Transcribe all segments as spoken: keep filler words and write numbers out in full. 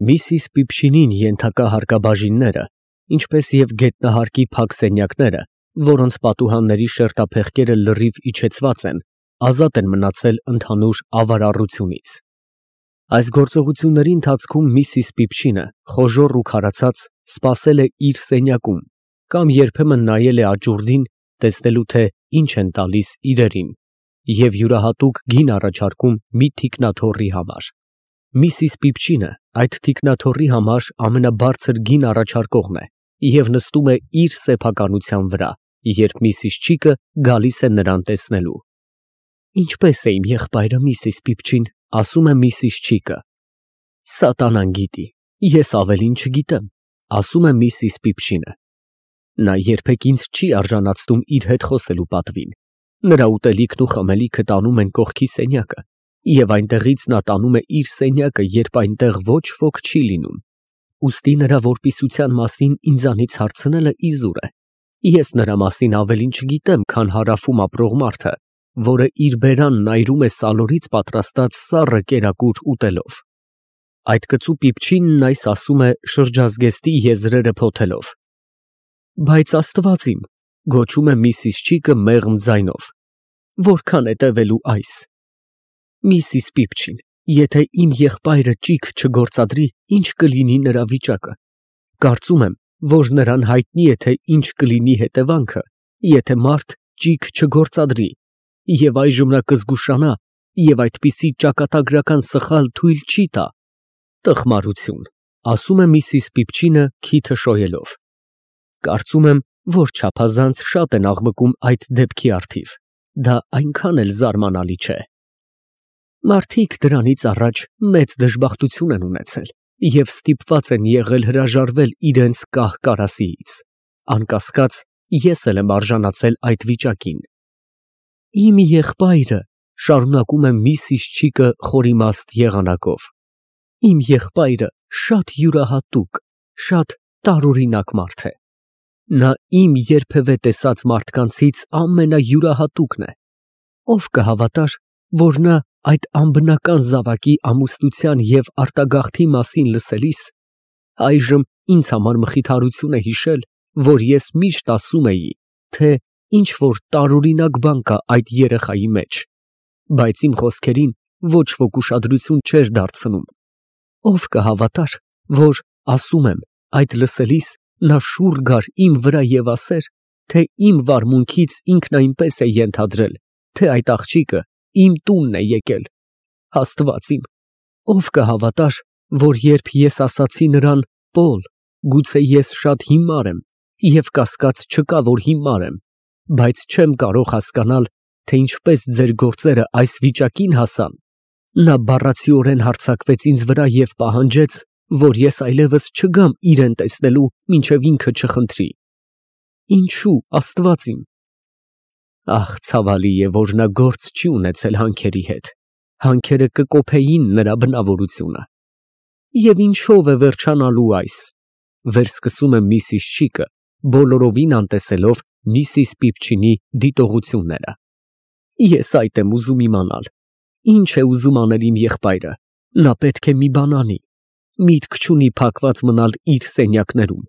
Միսիս Պիփչինին ենթակա հարկաբաժինները, ինչպես և գետնահարկի փակ սենյակները, որոնց պատուհանների շերտափեղկերը լրիվ իջեցված են, ազատ են մնացել ընդհանուր ավարառությունից։ Այս գործողությունների ընթացքում միսիս Պիփչինը, խոժոռ ու քարացած, սպասել է իր սենյակում կամ երբեմն նայել է աճուրդին, տեսնելու թե ինչ են տալիս իրերին, և յուրահատուկ գին առաջարկում մի թիկնաթոռի համար։ Միսիս Պիփչինը այդ թիկնաթոռի համար ամենաբարձր գին առաջարկողն է և նստում է իր սեփականության վրա, երբ միսիս Չիկը գալիս է նրան տեսնելու։ Ինչպե՞ս է իմ եղբայրը, միսիս Պիփչին, ասում է միսիս Չիկը։ Սատանան գիտի, ես ավելին չգիտեմ, ասում է միսիս Պիփչինը։ Նա երբեք ինձ չի արժանացնում իր հետ խոսելու պատվին։ Նրա ուտելիքն ու խմելիքը տանում են կողքի սենյակը, և այնտեղից նա տանում է իր սենյակը, երբ այնտեղ ոչ ոք չի լինում։ Ուստի նրա որպիսության մասին ինձանից հարցնելը իզուր է։ Ես նրա մասին ավելին չգիտեմ, քան հարավում ապրող մարդը, որը իր բերանն այրում է սալորից պատրաստած սառը կերակուր ուտելով։ Այդ կծու Պիփչինն այս ասում է շրջազգեստի եզրերը փոթելով։ Բայց Աստված իմ, գոչում է միսիս Չիկը մեղմ ձայնով, որքան է տևելու այս։ Միսիս Պիփչին, եթե իմ եղբայրը ճիգ չգործադրի, ինչ կլինի նրա վիճակը։ Կարծում եմ, որ նրան հայտնի է, թե ինչ կլինի հետևանքը, եթե մարդ ճիգ չգործադրի, և այժմ նա կզգուշանա և այդպիսի ճակատագրական սխալ թույլ չի տա։ Տխմարություն, ասում է միսիս Պիփչինը քիթը շոյելով։ Կարծում եմ, որ չափազանց շատ են աղմկում այդ դեպքի առթիվ, դա այնքան էլ զարմանալի չէ։ Մարդիկ դրանից առաջ մեծ դժբախտություն են ունեցել և ստիպված են եղել հրաժարվել իրենց կահ֊կարասիից։ Անկասկած, ես էլ եմ արժանացել այդ վիճակին։ Իմ եղբայրը, շարունակում է միսիս Չիկը խորիմաստ եղանակով, իմ եղբայրը շատ յուրահատուկ, շատ տարօրինակ մարդ է։ Նա իմ երբևէ տեսած մարդկանցից ամենայուրահատուկն է։ Ով կհավատար, որ նա այդ անբնական զավակի ամուսնության և արտագաղթի մասին լսելիս, այժմ ինձ համար մխիթարություն է հիշել, որ ես միշտ ասում էի, թե ինչ֊որ տարօրինակ բան կա այդ երեխայի մեջ, բայց իմ խոսքերին ոչ ոք ուշադրություն չէր դարձնում։ Ով կհավատար, որ, ասում եմ, այդ լսելիս նա շուռ գար իմ վրա և ասեր, թե իմ վարմունքից ինքն այնպես է ենթադրել, թե այդ աղջիկը իմ տունն է եկել։ Աստված իմ, ով կհավատար, որ երբ ես ասացի նրան. «Պոլ, գուցե ես շատ հիմար եմ, և կասկած չկա, որ հիմար եմ, բայց չեմ կարող հասկանալ, թե ինչպես ձեր գործերը այս վիճակին հասան», նա բառացիորեն հարձակվեց ինձ վրա և պահանջեց, որ ես այլևս չգամ իրան տեսնելու, մինչև ինքը չխնդրի։ Ինչո՞ւ, Աստված իմ։ Ահ, ցավալի է, որ նա գործ չի ունեցել հանքերի հետ, հանքերը կկոփեին նրա բնավորությունը։ Եվ ինչո՞վ է վերջանալու այս, վերսկսում է միսիս Չիկը, բոլորովին անտեսելով միսիս Պիփչինի դիտողությունները։ Ես այդ եմ ուզում իմանալ, ինչ է ուզում անել իմ եղբայրը, նա պետք է մի բան անի, միտք չունի փակված մնալ իր սենյակներում,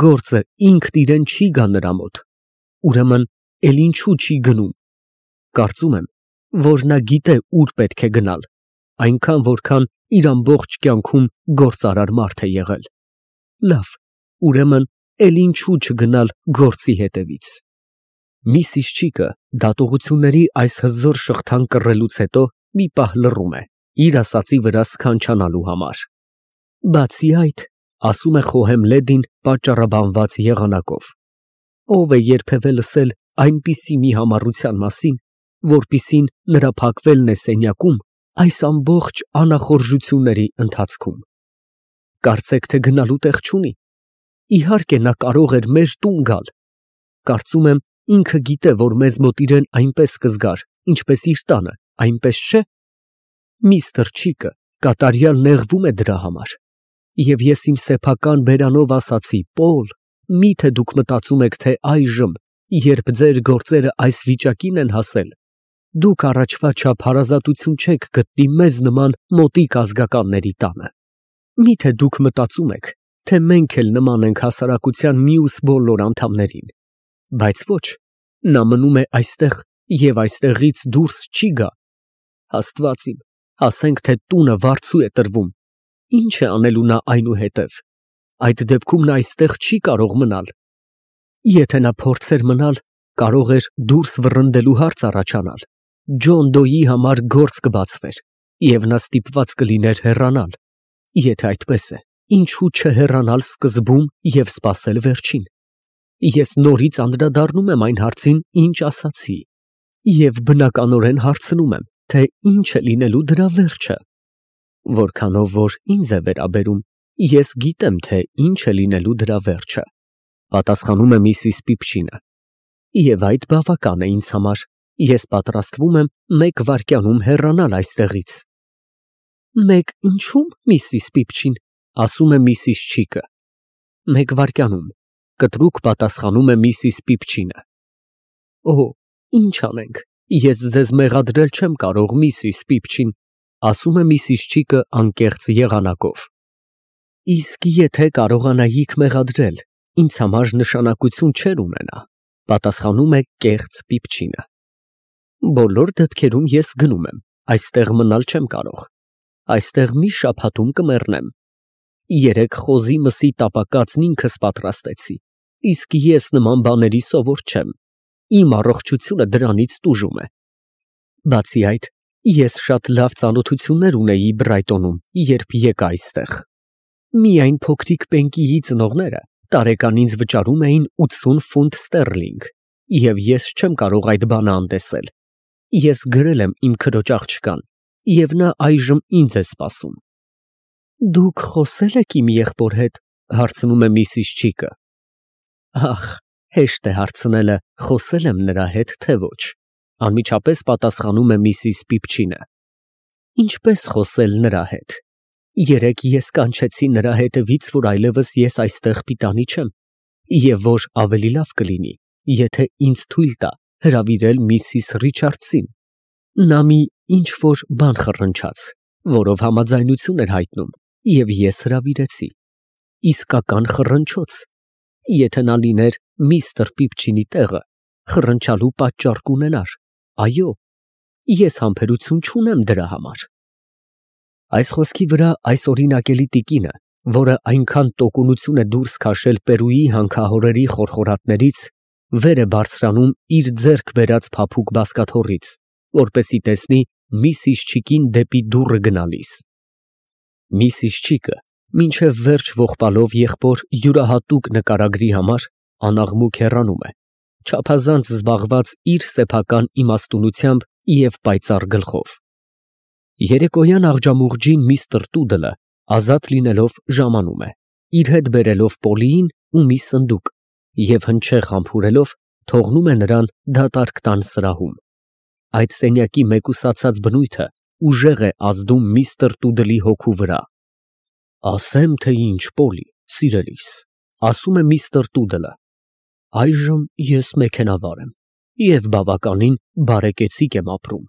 գործը ինքն իրան չի գա նրա մոտ, ուրեմն էլ ինչու չի գնում։ Կարծում եմ, որ նա գիտե ուր պետք է գնալ, այնքան, որքան իր ամբողջ կյանքում գործարար մարդ է եղել։ Լավ, ուրեմն էլ ինչու չգնալ գործի հետևից։ Միսիս Չիկը դատողությունների այս հզոր շղթան կռելուց հետո մի պահ լռում է, իր ասածի վրա սքանչանալու համար։ Բացի այդ, ասում է խոհեմ լեդին պատճառաբանված եղանակով, ով է երբևէ լսել այնպիսի մի համառության մասին, որպիսին նրա փակվելն է սենյակում այս ամբողջ անախորժությունների ընթացքում։ Կարծեք, թե գնալու տեղ չունի։ Իհարկե, նա կարող էր մեր տուն գալ։ Կարծում եմ, ինքը գիտե, որ մեզ մոտ իրան այնպես կզգար, ինչպես իր տանը, այնպես չէ։ Միստր Չիկը կատարյալ նեղվում է դրա համար։ Եվ ես իմ սեփական բերանով ասացի. «Պոլ, մի՞թե դուք մտածում եք, թե այժմ, երբ ձեր գործերը այս վիճակին են հասել, դուք առաջվա չափ հարազատություն չեք գտնի մեզ նման մոտիկ ազգականների տանը»։ Միթե դուք մտածում եք, թե մենք էլ նման ենք հասարակության մյուս բոլոր անդամներին, բայց ոչ, նա մնում է այստեղ և այստեղից դուրս չի գա։ Աստված իմ, ասենք թե տունը վարձու է տրվում, ի՞նչ է անելու նա այնուհետև, այդ դեպքում նա այստեղ չի կարող մնալ։ Եթե նա փորձեր մնալ, կարող էր դուրս վռնդելու հարց առաջանալ, Ջոն Դոյի համար գործ կբացվեր, և նա ստիպված կլիներ հեռանալ։ Եթե այդպես է, ինչու չհեռանալ սկզբում և սպասել վերջին։ Ես նորից անդրադառնում եմ այն հարցին, ինչ ասացի, և բնականորեն հարցնում եմ, թե ինչ է լինելու դրա վերջը։ Որքանով որ ինձ է վերաբերում, ես գիտեմ, թե ինչ է լինելու դրա վերջը, պատասխանում է միսիս Պիպչինը, և այդ բավական է ինձ համար, ես պատրաստվում եմ մեկ վայրկյանում հեռանալ այստեղից։ Մեկ ինչո՞ւմ, միսիս Պիպչին, ասում է միսիս Չիկը։ Մեկ վայրկյանում, կտրուկ պատասխանում է միսիս Պիպչինը։ Օ, ինչ անենք, ես ձեզ մեղադրել չեմ կարող, միսիս Պիպչին, ասում է միսիս Չիկը անկեղծ եղանակով։ Իսկ եթե կարողանայիք մեղադրել, ինձ համար նշանակություն չէր ունենա, պատասխանում է կեղծ Պիպչինը։ Բոլոր դեպքերում ես գնում եմ, այստեղ մնալ չեմ կարող, այստեղ մի շաբաթում կմեռնեմ։ Երեկ խոզի մսի տապակածն ինքս պատրաստեցի, իսկ ես նման բաների սովոր չեմ, իմ առողջությունը դրանից տուժում է։ Բացի այդ, ես շատ լավ ծանոթություններ ունեի Բրայտոնում, երբ եկա այստեղ։ Միայն փոքրիկ Պենկիի ծնողները տարեկան ինձ վճարում էին ութսուն ֆունտ ստերլինգ, և ես չեմ կարող այդ բանը անտեսել։ Ես գրել եմ իմ քրոջ աղջկան, և նա այժմ ինձ է սպասում։ Դուք խոսե՞լ եք իմ եղբոր հետ, հարցնում է միսիս Չիկը։ Ախ, հեշտ է հարցնելը, խոսե՞լ եմ նրա հետ, թե ոչ, անմիջապես պատասխանում է միսիս Պիպչինը։ Ինչպես խոսել նրա հետ։ Երեկ ես կանչեցի նրա հետևից, որ այլևս ես այստեղ պիտանի չեմ, և որ ավելի լավ կլինի, եթե ինձ թույլ տա հրավիրել միսիս Ռիչարդսին։ Նա մի ինչ֊որ բան խռնչաց, որով համաձայնություն էր հայտնում, և ես հրավիրեցի։ Իսկական խռնչոց։ Եթե նա լիներ միստր Պիպչինի տեղը, խռնչալու պատճառ կունենար, այո, ես համբերություն չունեմ դրա համար։ Այս խոսքի վրա այս օրինակելի տիկինը, որը այնքան տոկունություն է դուրս քաշել Պերուի հանքահորերի խորխորատներից, վեր է բարձրանում իր ձեռք բերած փափուկ բազկաթոռից, որպեսզի տեսնի միսիս Չիկին դեպի դուռը գնալիս։ Միսիս Չիկը, մինչև վերջ ողբալով եղբոր յուրահատուկ նկարագրի համար, անաղմուկ հեռանում է, չափազանց զբաղված իր սեփական իմաստունությամբ և պայծառ գլխով։ Երեկոյան աղջամուղջին միստր Տուդլը, ազատ լինելով, ժամանում է, իր հետ բերելով Պոլիին ու մի սնդուկ, և հնչեղ համբուրելով, թողնում է նրան դատարկ տան սրահում։ Այդ սենյակի մեկուսացած բնույթը ուժեղ է ազդում միստր Տուդլի հոգու վրա։ Ասեմ, թե ինչ, Պոլի, սիրելիս, ասում է միստր Տուդլը, այժմ ես մեքենավար եմ և բավականին բարեկեցիկ եմ ապրում,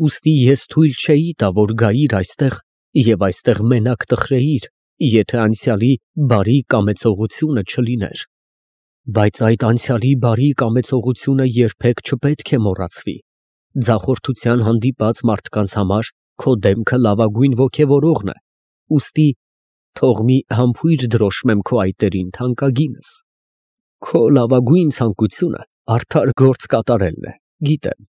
ուստի ես թույլ չէի տա, որ գայիր այստեղ և այստեղ մենակ տխրեիր, եթե անցյալի բարի կամեցողությունը չլիներ։ Բայց այդ անցյալի բարի կամեցողությունը երբեք չպետք է մոռացվի։ Ձախորդության հանդիպած մարդկանց համար քո դեմքը լավագույն ոգևորողն է, ուստի թող մի համբույր դրոշմեմ քո այտերին, թանկագինս։ Քո լավագույն ցանկությունը արդար գործ կատարելն է, գիտեմ,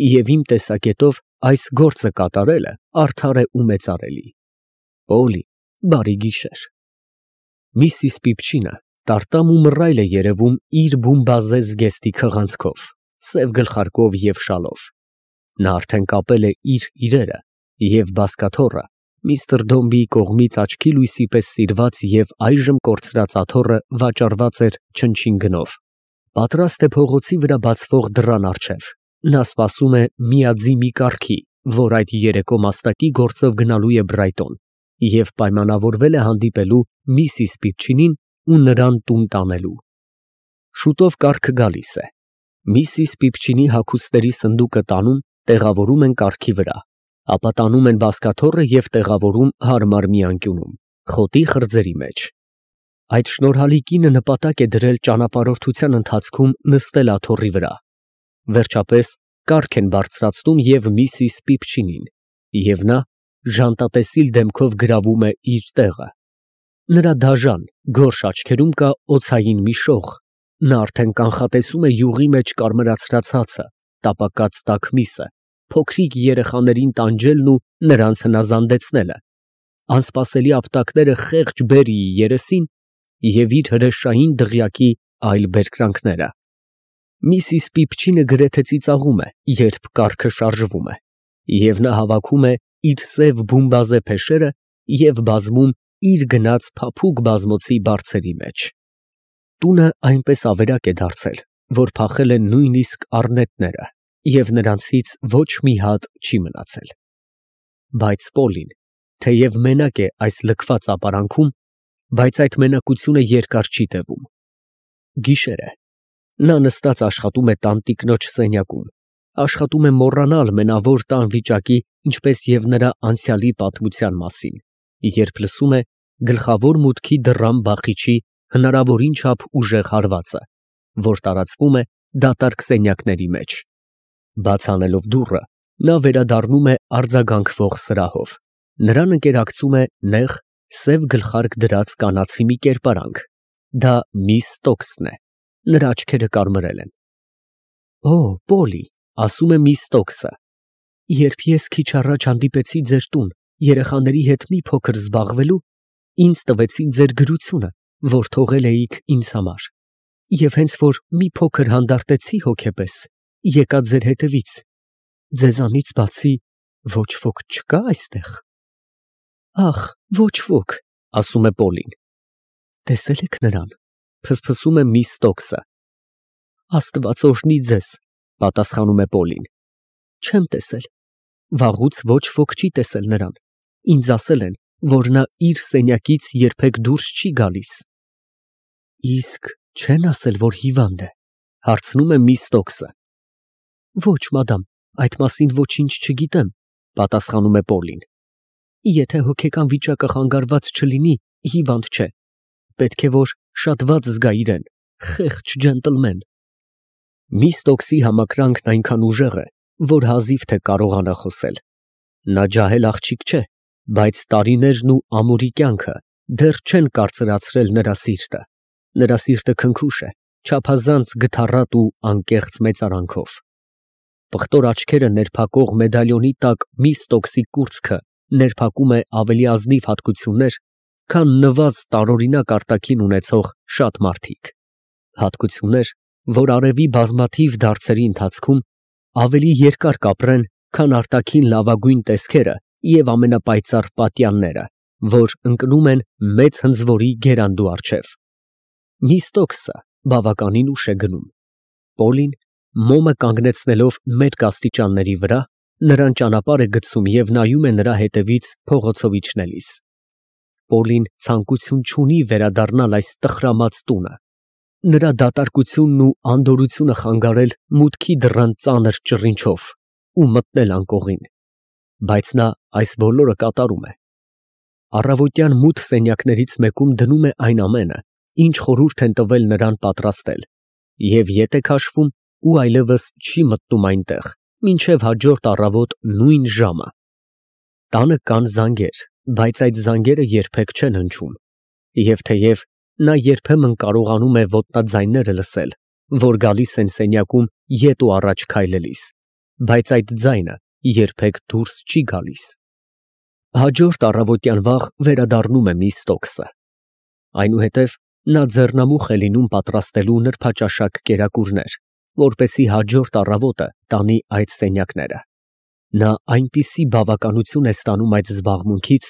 և իմ տեսակետով այս գործը կատարելը արդար է ու մեծարելի։ Պոլի, բարի գիշեր։ Միսիս Պիպչինը տարտամ ու մռայլ է երևում իր բումբազե զգեստի քղանցքով, սև գլխարկով և շալով։ Նա արդեն կապել է իր իրերը, և բազկաթոռը միստր Դոմբիի կողմից աչքի լույսի պես սիրված և այժմ կորցրած աթոռը վաճառված էր չնչին գնով։ Պատրաստ է փողոցի վրա բացվող դռան առջև։ Նա սպասում է միաձիմի կառքի, որ այդ երեկո մաստակի գործով գնալու է Բրայտոն, և պայմանավորվել է հանդիպելու միսիս Պիպչինին ու նրան տուն տանելու։ Շուտով կառքը գալիս է։ Միսիս Պիպչինի հագուստների սնդուկը տանում, տեղավորում են կառքի վրա, ապա տանում են բազկաթոռը և տեղավորում հարմար մի անկյունում։ խոտի խրձերի մեջ։ Այդ շնորհալի կինը նպատակ է դրել ճանապարհորդության ընթացքում նստել աթոռի վրա։ Վերջապես կառք են բարձրացնում և միսիս Պիպչինին, և նա ժանտատեսիլ դեմքով գրավում է իր տեղը։ Նրա դաժան, գորշ աչքերում կա օձային մի շող, նա արդեն կանխատեսում է յուղի մեջ կարմրացրած հացը, տապակած տաք միսը, փոքրիկ երեխաներին տանջելն ու նրանց հնազանդեցնելը, անսպասելի ապտակները խեղճ Բերիի երեսին և իր հրեշային դղյակի այլ բերկրանքները։ Միսիս Պիպչինը գրեթե ծիծաղում է, երբ կառքը շարժվում է, և նա հավաքում է իր սև բումբազե փեշերը և բազմում իր գնած փափուկ բազմոցի բարձերի մեջ։ Տունը այնպես ավերակ է դարձել, որ փախել են նույնիսկ առնետները, և նրանցից ոչ մի հատ չի մնացել։ Բայց Պոլին, թեև մենակ է այս լքված ապարանքում, բայց այդ մենակությունը երկար չի տևում։ Գիշեր է։ Նա նստած աշխատում է տանտիկնոջ սենյակում, աշխատում է մոռանալ մենավոր տան վիճակի, ինչպես և նրա անցյալի պատմության մասին, երբ լսում է գլխավոր մուտքի դռան բախիչի հնարավորին չափ ուժեղ հարվածը, որ տարածվում է դատարկ սենյակների մեջ։ Բաց անելով դուռը, նա վերադառնում է արձագանքվող սրահով։ Նրան ընկերակցում է նեղ, սև գլխարկ դրած կանացի մի կերպարանք։ Դա միս Ստոքսն է։ Նրա աչքերը կարմրել են։ Օ, Պոլի, ասում է միս Ստոքսը, երբ ես քիչ առաջ հանդիպեցի ձեր տուն երեխաների հետ մի փոքր զբաղվելու, ինձ տվեցին ձեր գրությունը, որ թողել էիք ինձ համար, և հենց որ մի փոքր հանդարտեցի հոգեպես, եկա ձեր հետևից, ձեզանից բացի ոչ ոք չկա այստեղ։ Ախ, ոչ ոք, ասում է Պոլին։ Տեսե՞լ եք նրան, ֆսֆսում է միս Ստոքսը։ Աստված օրհնի ձեզ, պատասխանում է Պոլին։ Չեմ տեսել, վաղուց ոչ ոք չի տեսել նրան, ինձ ասել են, որ նա իր սենյակից երբեք դուրս չի գալիս։ Իսկ չեն ասել, որ հիվանդ է, հարցնում է միս Ստոքսը։ Ոչ, մադամ, այդ մասին ոչինչ չգիտեմ, պատասխանում է Պոլին։ Եթե հոգեկան վիճակը խանգարված չլինի, հիվանդ չէ, պետք է որ շատ վատ զգա իրեն, խեղճ ջենտլմեն։ Միս Ստոքսի համակրանքն այնքան ուժեղ է, որ հազիվ թե կարողանա խոսել։ Նա ջահել աղջիկ չէ, բայց տարիներն ու ամուրի կյանքը դեռ չեն կարծրացրել նրա սիրտը։ Նրա սիրտը քնքուշ է, չափազանց գթառատ ու անկեղծ մեծարանքով։ Պղտոր աչքերը ներփակող մեդալյոնի տակ միս Ստոքսի կուրծքը ներփակում է ավելի ազնիվ հատկություններ, քան նվազ տարօրինակ արտաքին ունեցող շատ մարդիկ։ Հատկություններ, որ արևի բազմաթիվ դարձերի ընթացքում ավելի երկար կապրեն, քան արտաքին լավագույն տեսքերը և ամենապայծառ պատյանները, որ ընկնում են մեծ հնձվորի գերանդու առջև։ Միս Ստոքսը բավականին ուշ է գնում։ Պոլին, մոմը կանգնեցնելով մերկ աստիճանների վրա, նրան ճանապարհ է գցում և նայում է նրա հետևից փողոցով իջնելիս։ Պոլին ցանկություն չունի վերադառնալ այս տխրամած տունը, նրա դատարկությունն ու անդորրությունը խանգարել մուտքի դռան ծանր ճռինչով ու մտնել անկողին, բայց նա այս բոլորը կատարում է։ Առավոտյան մութ սենյակներից մեկում դնում է այն ամենը, ինչ խորհուրդ են տվել նրան պատրաստել, և ետ է քաշվում ու այլևս չի մտնում այնտեղ, մինչև հաջորդ առավոտ նույն ժամը։ Տանը կան զանգեր, բայց այդ զանգերը երբեք չեն հնչում, և թեև նա երբեմն կարողանում է ոտնաձայները լսել, որ գալիս են սենյակում ետ ու առաջ քայլելիս, բայց այդ ձայնը երբեք դուրս չի գալիս։ Հաջորդ առավոտյան վաղ վերադառնում է միս Ստոքսը։ Այնուհետև նա ձեռնամուխ է լինում պատրաստելու նրբաճաշակ կերակուրներ, որպեսզի հաջորդ առավոտը տանի այդ սենյակները։ Նա այնպիսի բավականություն է ստանում այդ զբաղմունքից,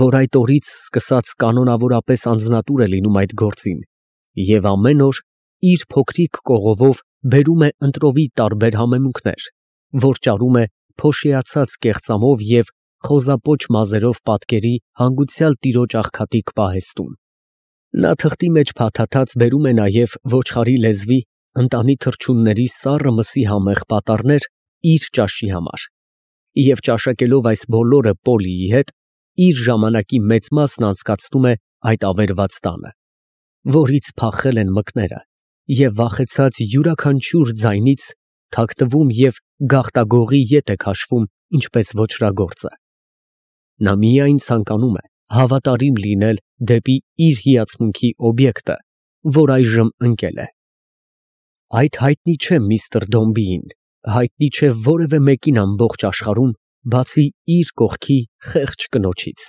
որ այդ օրից սկսած կանոնավորապես անձնատուր է լինում այդ գործին և ամեն օր իր փոքրիկ կողովով բերում է ընտրովի տարբեր համեմունքներ, որ ճարում է փոշիացած կեղծամով և խոզապոչ մազերով պատկերի հանգուցյալ տիրոջ աղքատիկ պահեստում։ Նա թղթի մեջ փաթաթած բերում է նաև ոչխարի լեզվի, ընտանի թռչունների սառը մսի համեղ պատառներ իր ճաշի համար, և ճաշակելով այս բոլորը Պոլիի հետ, իր ժամանակի մեծ մասն անցկացնում է այդ ավերված տանը, որից փախել են մկները, և վախեցած յուրաքանչյուր ձայնից թաքնվում և գաղտագողի ետ է քաշվում, ինչպես ոճրագործը։ Նա միայն ցանկանում է հավատարիմ լինել դեպի իր հիացմունքի օբյեկտը, որ այժմ ընկել է։ Այդ հայտնի չէ միստր Դոմբիին, հայտնի չէ որևէ մեկին ամբողջ աշխարհում, բացի իր կողքի խեղճ կնոջից։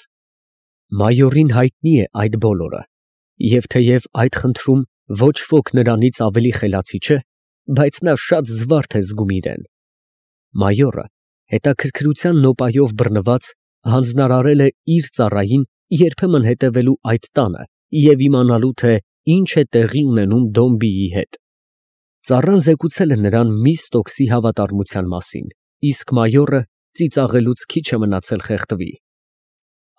Մայորին հայտնի է այդ բոլորը, և թեև այդ խնդրում ոչ ոք նրանից ավելի խելացի չէ, բայց նա շատ զվարթ է զգում իրեն։ Մայորը, հետաքրքրության նոպայով բռնված, հանձնարարել է իր ծառային երբեմն հետևելու այդ տանը և իմանալու, թե ինչ է տեղի ունենում Դոմբիի հետ։ Ծառան զեկուցել է նրան միս Տոքսի հավատարմության մասին, իսկ մայորը ծիծաղելուց քիչ է մնացել խեղդվի։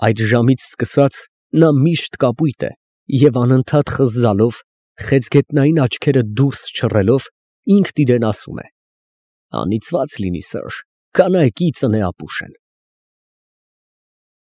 Այդ ժամից սկսած նա միշտ կապույտ է և անընդհատ խզզալով, խեցգետնային աչքերը դուրս չռելով, ինքն իրան ասում է. «Անիծված լինի, սըր, կանայք ի ծնե ապուշ են»։